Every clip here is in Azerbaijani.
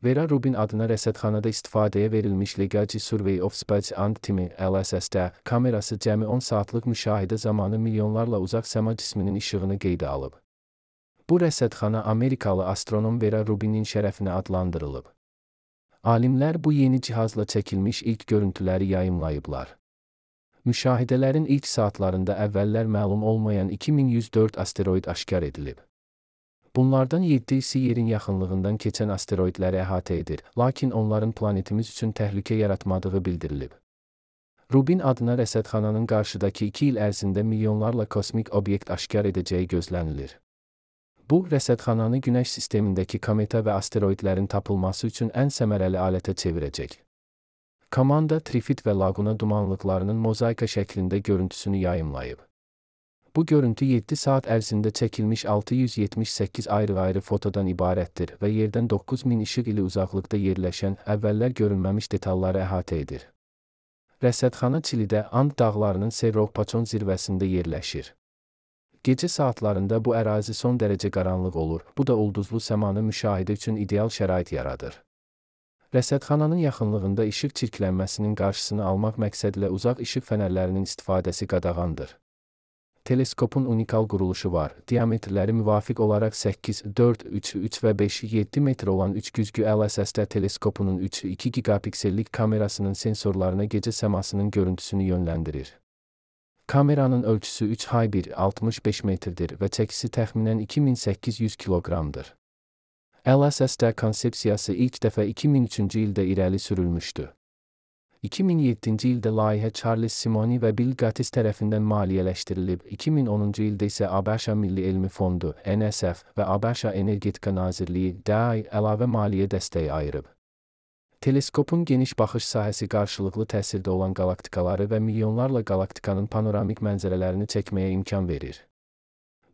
Vera Rubin adına rəsədxanada istifadəyə verilmiş Legacy Survey of Space and Time (LSSD) kamerası cəmi 10 saatlıq müşahidə zamanı milyonlarla uzaq səma cisminin işığını qeydə alıb. Bu rəsədxana Amerikalı astronom Vera Rubinin şərəfinə adlandırılıb. Alimlər bu yeni cihazla çəkilmiş ilk görüntüləri yayımlayıblar. Müşahidələrin ilk saatlarında əvvəllər məlum olmayan 2104 asteroid aşkar edilib. Bunlardan 7'si yerin yaxınlığından keçən asteroidləri əhatə edir, lakin onların planetimiz üçün təhlükə yaratmadığı bildirilib. Rubin adına rəsədxananın qarşıdakı 2 il ərzində milyonlarla kosmik obyekt aşkar edəcəyi gözlənilir. Bu, rəsədxananı Günəş sistemindəki kometa və asteroidlərin tapılması üçün ən səmərəli alətə çevirəcək. Komanda Trifid və Laguna dumanlıqlarının mozaika şəklində görüntüsünü yayımlayıb. Bu görüntü 7 saat ərzində çəkilmiş 678 ayrı-ayrı fotodan ibarətdir və yerdən 9000 işıq ili uzaqlıqda yerləşən, əvvəllər görünməmiş detalları əhatə edir. Rəsədxana Çilidə And dağlarının Cerro Pachon zirvəsində yerləşir. Gecə saatlarında bu ərazi son dərəcə qaranlıq olur, bu da ulduzlu səmanı müşahidə üçün ideal şərait yaradır. Rəsədxananın yaxınlığında işıq çirklənməsinin qarşısını almaq məqsədilə uzaq işıq fənərlərinin istifadəsi qadağandır. Teleskopun unikal quruluşu var. Diametrləri müvafiq olaraq 8, 4, 3, 3 və 5, 7 metr olan 3 güzgü LSSD teleskopunun 3-2 gigapiksellik kamerasının sensorlarına gecə səmasının görüntüsünü yönləndirir. Kameranın ölçüsü 3x1 65 metrdir və çəkisi təxminən 2800 kiloqramdır. LSSD konsepsiyası ilk dəfə 2003-cü ildə irəli sürülmüşdü. 2007-ci ildə layihə Charles Simonyi və Bill Gates tərəfindən maliyyələşdirilib, 2010-cu ildə isə ABŞ Milli Elmi Fondu (NSF) və ABŞ Energetika Nazirliyi (DEAI) əlavə maliyyə dəstəyi ayırıb. Teleskopun geniş baxış sahəsi qarşılıqlı təsirdə olan qalaktikaları və milyonlarla qalaktikanın panoramik mənzərələrini çəkməyə imkan verir.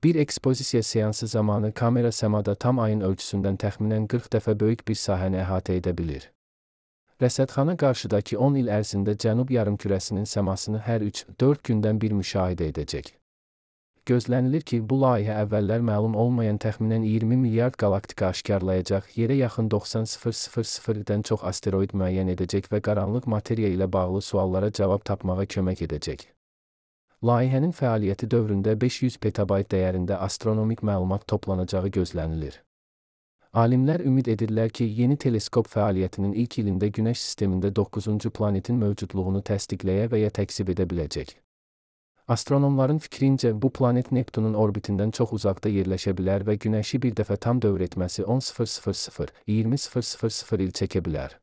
Bir ekspozisiya seansı zamanı kamera səmada tam ayın ölçüsündən təxminən 40 dəfə böyük bir sahəni əhatə edə bilir. Rəsədxana qarşıdakı 10 il ərzində Cənub yarımkürəsinin səmasını hər 3-4 gündən bir müşahidə edəcək. Gözlənilir ki, bu layihə əvvəllər məlum olmayan təxminən 20 milyard qalaktika aşkarlayacaq, yerə yaxın 90,000-dən çox asteroid müəyyən edəcək və qaranlıq materiya ilə bağlı suallara cavab tapmağa kömək edəcək. Layihənin fəaliyyəti dövründə 500 petabayt dəyərində astronomik məlumat toplanacağı gözlənilir. Alimlər ümid edirlər ki, yeni teleskop fəaliyyətinin ilk ilində Günəş sistemində 9-cu planetin mövcudluğunu təsdiqləyə və ya təkzib edə biləcək. Astronomların fikrincə, bu planet Neptunun orbitindən çox uzaqda yerləşə bilər və Günəşi bir dəfə tam dövr etməsi 10,000-20,000 il çəkə bilər.